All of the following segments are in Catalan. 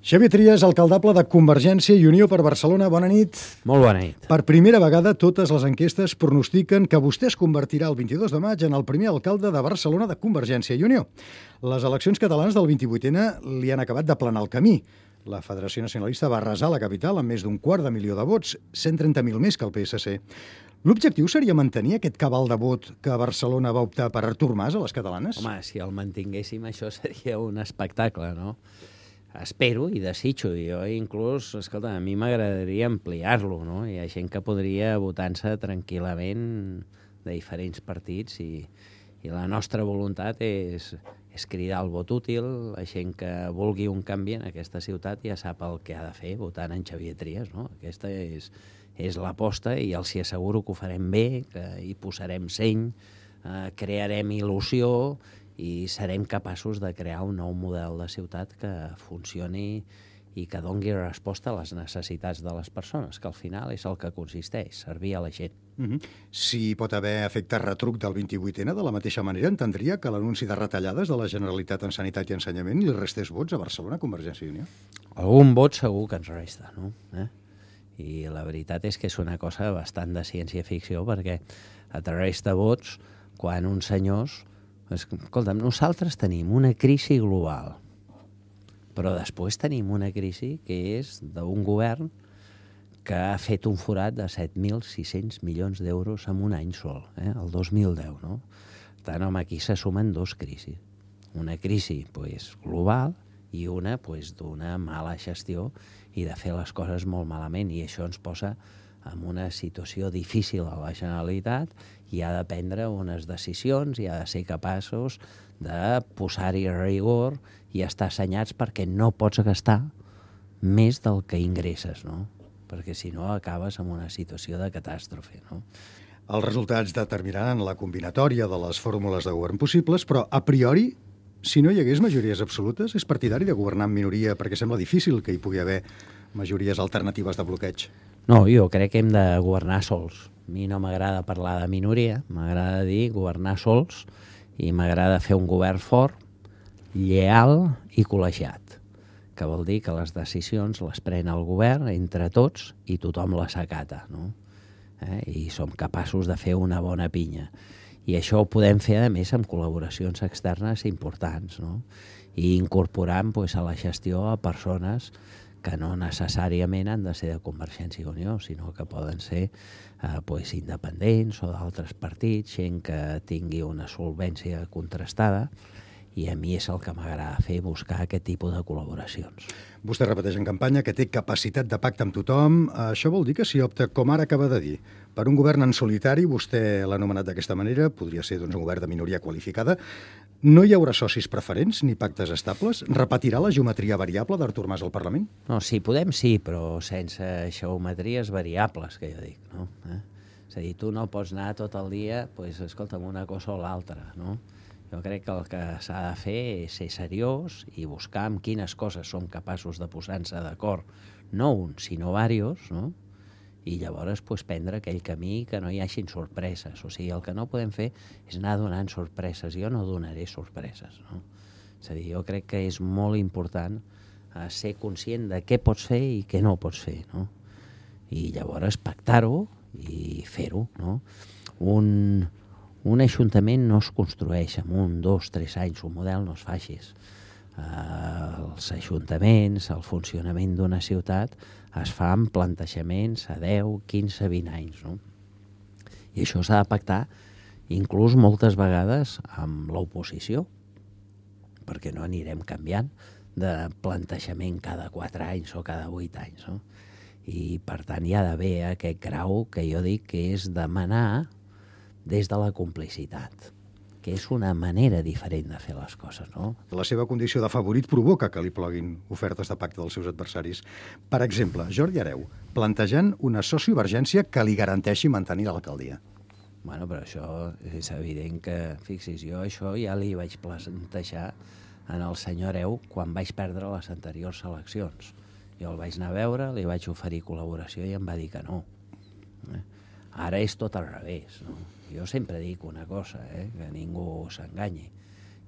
Xavier Trias, alcaldable de Convergència i Unió per Barcelona. Bona nit. Molt bona nit. Per primera vegada, totes les enquestes pronostiquen que vostè es convertirà el 22 de maig en el primer alcalde de Barcelona de Convergència i Unió. Les eleccions catalanes del 28N li han acabat d'aplanar el camí. La Federació Nacionalista va arrasar la capital amb més d'250.000 de vots, 130.000 més que el PSC. L'objectiu seria mantenir aquest cabal de vot que a Barcelona va optar per Artur Mas a les catalanes? Home, si el mantinguéssim, això seria un espectacle, no? Espero i desitjo. Jo inclús, escolta, a mi m'agradaria ampliar-lo, no? Hi ha gent que podria votar-se tranquil·lament de diferents partits i la nostra voluntat és cridar el vot útil. La gent que vulgui un canvi en aquesta ciutat ja sap el que ha de fer votant en Xavier Trias, no? Aquesta és l'aposta i els hi asseguro que ho farem bé, que hi posarem seny, crearem il·lusió i serem capaços de crear un nou model de ciutat que funcioni i que doni resposta a les necessitats de les persones, que al final és el que consisteix, servir a la gent. Si pot haver efecte retruc del 28N, de la mateixa manera entendria que l'anunci de retallades de la Generalitat en Sanitat i Ensenyament li restés vots a Barcelona, Convergència i Unió? Algun vot segur que ens resta, no? I la veritat és que és una cosa bastant de ciència-ficció, perquè et resta vots quan uns senyors... Escolta'm, nosaltres tenim una crisi global, però després tenim una crisi que és d'un govern que ha fet un forat de 7.600 milions d'euros en un any sol, el 2010, no? Per tant, home, aquí se sumen dos crisis. Una crisi global i una d'una mala gestió i de fer les coses molt malament, i això ens posa en una situació difícil a la Generalitat i ha de prendre unes decisions i ha de ser capaços de posar-hi rigor i estar assenyats, perquè no pots gastar més del que ingresses, no? Perquè si no acabes en una situació de catàstrofe, no? Els resultats determinaran la combinatòria de les fórmules de govern possibles, però a priori, si no hi hagués majories absolutes, és partidari de governar en minoria perquè sembla difícil que hi pugui haver majories alternatives de bloqueig. No, jo crec que hem de governar sols. A mi no m'agrada parlar de minoria, m'agrada dir governar sols i m'agrada fer un govern fort, lleal i col·legiat, que vol dir que les decisions les pren el govern entre tots i tothom les acata, no? I som capaços de fer una bona pinya. I això ho podem fer, a més, amb col·laboracions externes importants, no? I incorporant a la gestió a persones que no necessàriament han de ser de Convergència i Unió, sinó que poden ser independents o d'altres partits, gent que tingui una solvència contrastada, i a mi és el que m'agrada fer, buscar aquest tipus de col·laboracions. Vostè repeteix en campanya que té capacitat de pacte amb tothom. Això vol dir que si opta, com ara acaba de dir, per un govern en solitari, vostè l'ha anomenat d'aquesta manera, podria ser un govern de minoria qualificada, no hi haurà socis preferents ni pactes estables? Repetirà la geometria variable d'Artur Mas al Parlament? No, si podem sí, però sense geometries variables, que jo dic, no? És a dir, tu no pots anar tot el dia, escolta'm, una cosa o l'altra, no? Jo crec que el que s'ha de fer és ser seriós i buscar amb quines coses som capaços de posar-nos d'acord, no un, sinó diversos, no? I llavors prendre aquell camí que no hi hagin sorpreses. O sigui, el que no podem fer és anar donant sorpreses. Jo no donaré sorpreses, no? És a dir, jo crec que és molt important ser conscient de què pots fer i què no pots fer, no? I llavors pactar-ho i fer-ho, no? Un ajuntament no es construeix en 1, 2, 3 anys, un model no es fa així. Els ajuntaments, el funcionament d'una ciutat es fa amb plantejaments a 10, 15, 20 anys, no? I això s'ha de pactar inclús moltes vegades amb l'oposició, perquè no anirem canviant de plantejament cada 4 anys o cada 8 anys, no? I per tant hi ha d'haver aquest grau que jo dic que és demanar des de la complicitat, que és una manera diferent de fer les coses, no? La seva condició de favorit provoca que li ploguin ofertes de pacte dels seus adversaris. Per exemple, Jordi Hereu, plantejant una sociovergència que li garanteixi mantenir l'alcaldia. Bueno, però això és evident que, fixis, jo això ja li vaig plantejar en el senyor Hereu quan vaig perdre les anteriors eleccions. Jo el vaig anar a veure, li vaig oferir col·laboració i em va dir que no. Ara és tot al revés, no? Jo sempre dic una cosa, que ningú s'enganyi.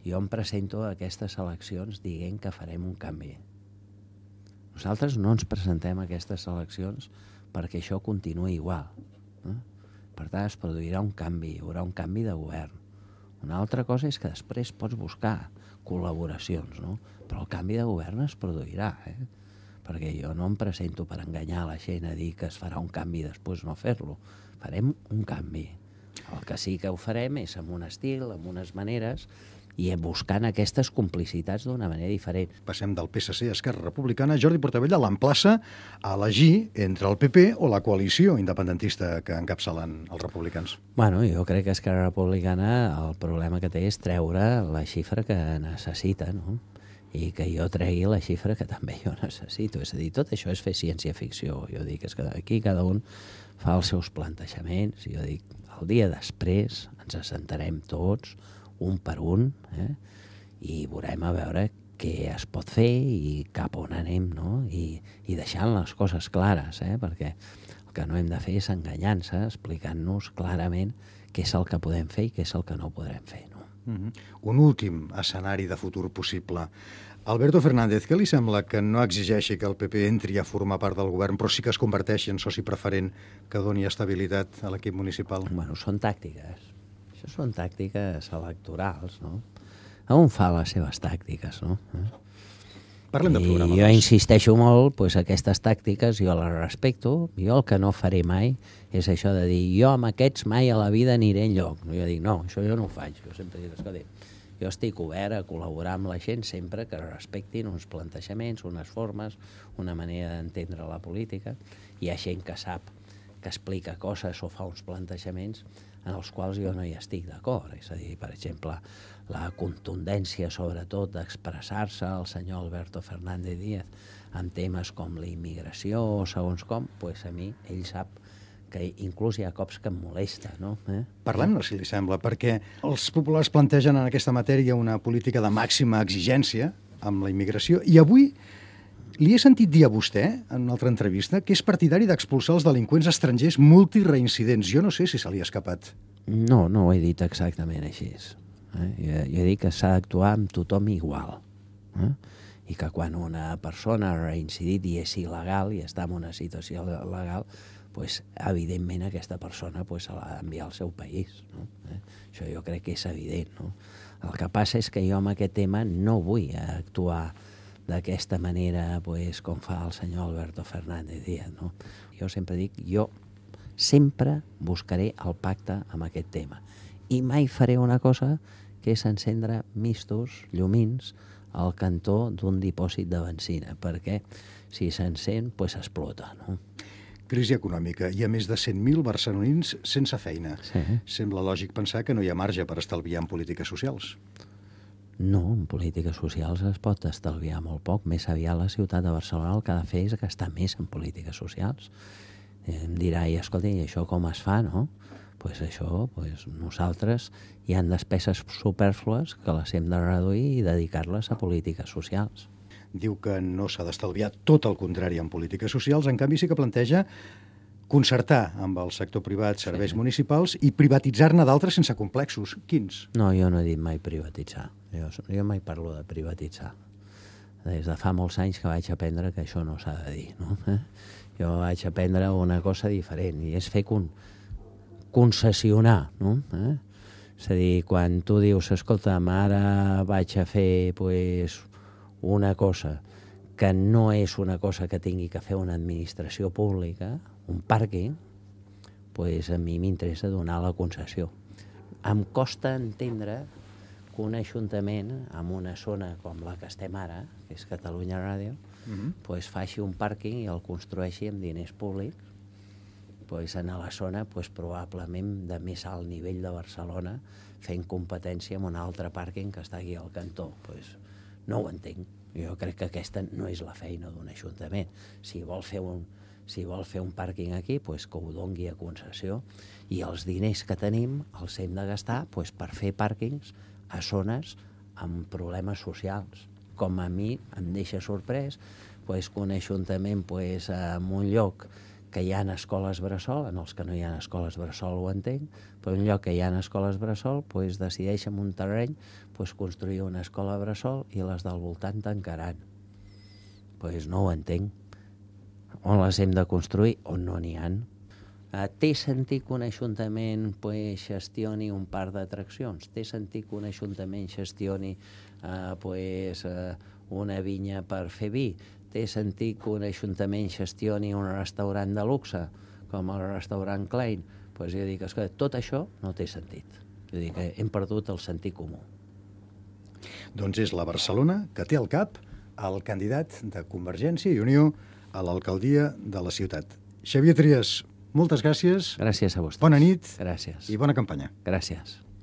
Jo em presento a aquestes eleccions dient que farem un canvi. Nosaltres no ens presentem a aquestes eleccions perquè això continuï igual. Per tant, es produirà un canvi, hi haurà un canvi de govern. Una altra cosa és que després pots buscar col·laboracions, no? Però el canvi de govern es produirà, perquè jo no em presento per enganyar la gent a dir que es farà un canvi i després no fer-lo. Farem un canvi. El que sí que ho farem és amb un estil, amb unes maneres, i buscant aquestes complicitats d'una manera diferent. Passem del PSC a Esquerra Republicana. Jordi Portabella l'emplaça a elegir entre el PP o la coalició independentista que encapçalen els republicans. Bueno, jo crec que Esquerra Republicana el problema que té és treure la xifra que necessita, no? I que jo tregui la xifra que també jo necessito. És a dir, tot això és fer ciència-ficció. Jo dic, és que aquí cada un fa els seus plantejaments. Jo dic, el dia després ens assentarem tots, un per un, i veurem a veure què es pot fer i cap on anem, no? I deixant les coses clares, perquè el que no hem de fer és enganyar-se, explicant-nos clarament què és el que podem fer i què és el que no podrem fer, no? Un últim escenari de futur possible. Alberto Fernández, què li sembla que no exigeixi que el PP entri a formar part del govern, però sí que es converteixi en soci preferent que doni estabilitat a l'equip municipal? Bueno, són tàctiques. Això són tàctiques electorals, no? Un fa les seves tàctiques, no? Parlem de programa. I jo insisteixo molt, doncs aquestes tàctiques jo les respecto. Jo el que no faré mai és això de dir jo amb aquests mai a la vida aniré enlloc. Jo dic, no, això jo no ho faig. Jo sempre dic, escolta, jo estic obert a col·laborar amb la gent sempre que respectin uns plantejaments, unes formes, una manera d'entendre la política. Hi ha gent que sap, que explica coses o fa uns plantejaments en els quals jo no hi estic d'acord. És a dir, per exemple, la contundència, sobretot, d'expressar-se el senyor Alberto Fernández Díaz en temes com la immigració o segons com, doncs a mi, ell sap que inclús hi ha cops que em molesta, no? Parlem-ne, si li sembla, perquè els populars plantegen en aquesta matèria una política de màxima exigència amb la immigració, i avui li he sentit dir a vostè, en una altra entrevista, que és partidari d'expulsar els delinqüents estrangers multireincidents. Jo no sé si se li ha escapat. No, no ho he dit exactament així. Jo he dit que s'ha d'actuar amb tothom igual. I que quan una persona ha reincidit i és il·legal i està en una situació legal, doncs, evidentment aquesta persona se l'ha d'enviar al seu país. No? Això jo crec que és evident. No? El que passa és que jo amb aquest tema no vull actuar d'aquesta manera com fa el senyor Alberto Fernández Díaz. No? Jo sempre dic, jo sempre buscaré el pacte amb aquest tema. I mai faré una cosa que és encendre mistos, llumins, al cantó d'un dipòsit de benzina, perquè si s'encén, explota. No? Crisi econòmica. Hi ha més de 100.000 barcelonins sense feina. Sí. Sembla lògic pensar que no hi ha marge per estalviar en polítiques socials. No, en polítiques socials es pot estalviar molt poc. Més aviat la ciutat de Barcelona el que ha de fer és gastar més en polítiques socials. Em dirà, i escolta, i això com es fa, no? Nosaltres hi ha despeses supèrflues que les hem de reduir i dedicar-les a polítiques socials. Diu que no s'ha d'estalviar, tot el contrari, en polítiques socials. En canvi, sí que planteja concertar amb el sector privat serveis municipals i privatitzar-ne d'altres sense complexos. Quins? No, jo no he dit mai privatitzar. Jo mai parlo de privatitzar. Des de fa molts anys que vaig aprendre que això no s'ha de dir. No? Jo vaig aprendre una cosa diferent, i és fer concessionar. No? És a dir, quan tu dius, escolta'm, ara vaig a fer una cosa que no és una cosa que tingui que fer una administració pública, un pàrquing, a mi m'interessa donar la concessió. Em costa entendre que un ajuntament en una zona com la que estem ara, que és Catalunya Ràdio, faci un pàrquing i el construeixi amb diners públics en la zona probablement de més alt nivell de Barcelona, fent competència amb un altre pàrquing que està aquí al cantó. No ho entenc. Jo crec que aquesta no és la feina d'un ajuntament. Si vol fer un pàrquing aquí, que ho dongui a concessió, i els diners que tenim els hem de gastar per fer pàrquings a zones amb problemes socials. Com a mi em deixa sorprès que un ajuntament en un lloc que hi ha escoles bressol, en els que no hi ha escoles bressol ho entenc, però en un lloc que hi ha escoles bressol decideix en un terreny construir una escola bressol i les del voltant tancaran. Doncs no ho entenc. On les hem de construir o no n'hi ha. Té sentit que un ajuntament gestioni un parc d'atraccions? Té sentit que un ajuntament gestioni una vinya per fer vi? Té sentit que un ajuntament gestioni un restaurant de luxe, com el restaurant Klein? Doncs jo dic, escolta, tot això no té sentit. Jo dic que hem perdut el sentit comú. Doncs és la Barcelona que té al cap el candidat de Convergència i Unió a l'alcaldia de la ciutat. Xavier Trias, moltes gràcies. Gràcies a vostès. Bona nit. Gràcies. I bona campanya. Gràcies.